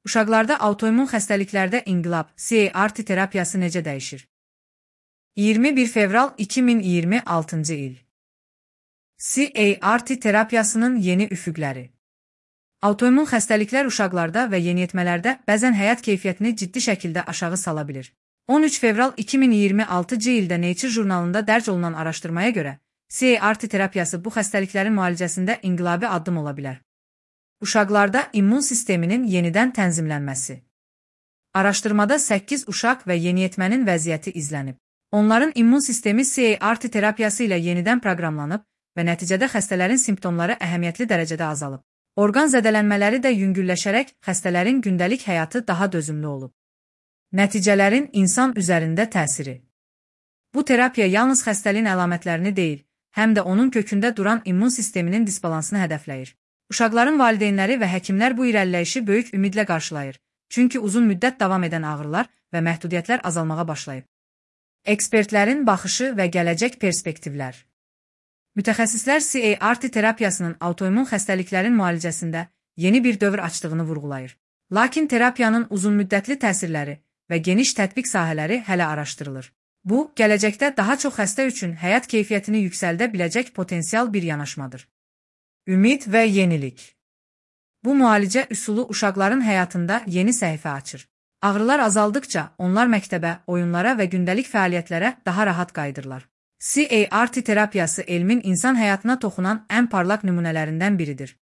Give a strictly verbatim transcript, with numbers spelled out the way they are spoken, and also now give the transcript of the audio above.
Uşaqlarda autoimmun xəstəliklərdə inqilab C A R T terapiyası necə dəyişir? iyirmi bir fevral iki min iyirmi altıncı il. C A R T terapiyasının yeni üfüqləri. Autoimmun xəstəliklər uşaqlarda və yeniyetmələrdə bəzən həyat keyfiyyətini ciddi şəkildə aşağı sala bilir. on üç fevral iki min iyirmi altıncı ildə Nature jurnalında dərc olunan araşdırmaya görə, C A R T terapiyası bu xəstəliklərin müalicəsində inqilabi addım ola bilər. Uşaqlarda immun sisteminin yenidən tənzimlənməsi. Araşdırmada səkkiz uşaq və yeniyetmənin vəziyyəti izlənib. Onların immun sistemi C A R T terapiyası ilə yenidən proqramlanıb və nəticədə xəstələrin simptomları əhəmiyyətli dərəcədə azalıb. Orqan zədələnmələri də yüngülləşərək xəstələrin gündəlik həyatı daha dözümlü olub. Nəticələrin insan üzərində təsiri. Bu terapiya yalnız xəstəliyin əlamətlərini deyil, həm də onun kökündə duran immun sisteminin disbalansını hədəfləyir. Uşaqların valideynləri və həkimlər bu irəliləyişi böyük ümidlə qarşılayır, çünki uzun müddət davam edən ağrılar və məhdudiyyətlər azalmağa başlayıb. Ekspertlərin baxışı və gələcək perspektivlər. Mütəxəssislər C A R T terapiyasının autoimmun xəstəliklərin müalicəsində yeni bir dövr açdığını vurğulayır. Lakin terapiyanın uzunmüddətli təsirləri və geniş tətbiq sahələri hələ araşdırılır. Bu, gələcəkdə daha çox xəstə üçün həyat keyfiyyətini yüksəldə biləcək potensial bir yanaşmadır. Ümid və yenilik. Bu müalicə üsulu uşaqların həyatında yeni səhifə açır. Ağrılar azaldıkca onlar məktəbə, oyunlara və gündəlik fəaliyyətlərə daha rahat qayıdırlar. C A R T terapiyası elmin insan həyatına toxunan ən parlaq nümunələrindən biridir.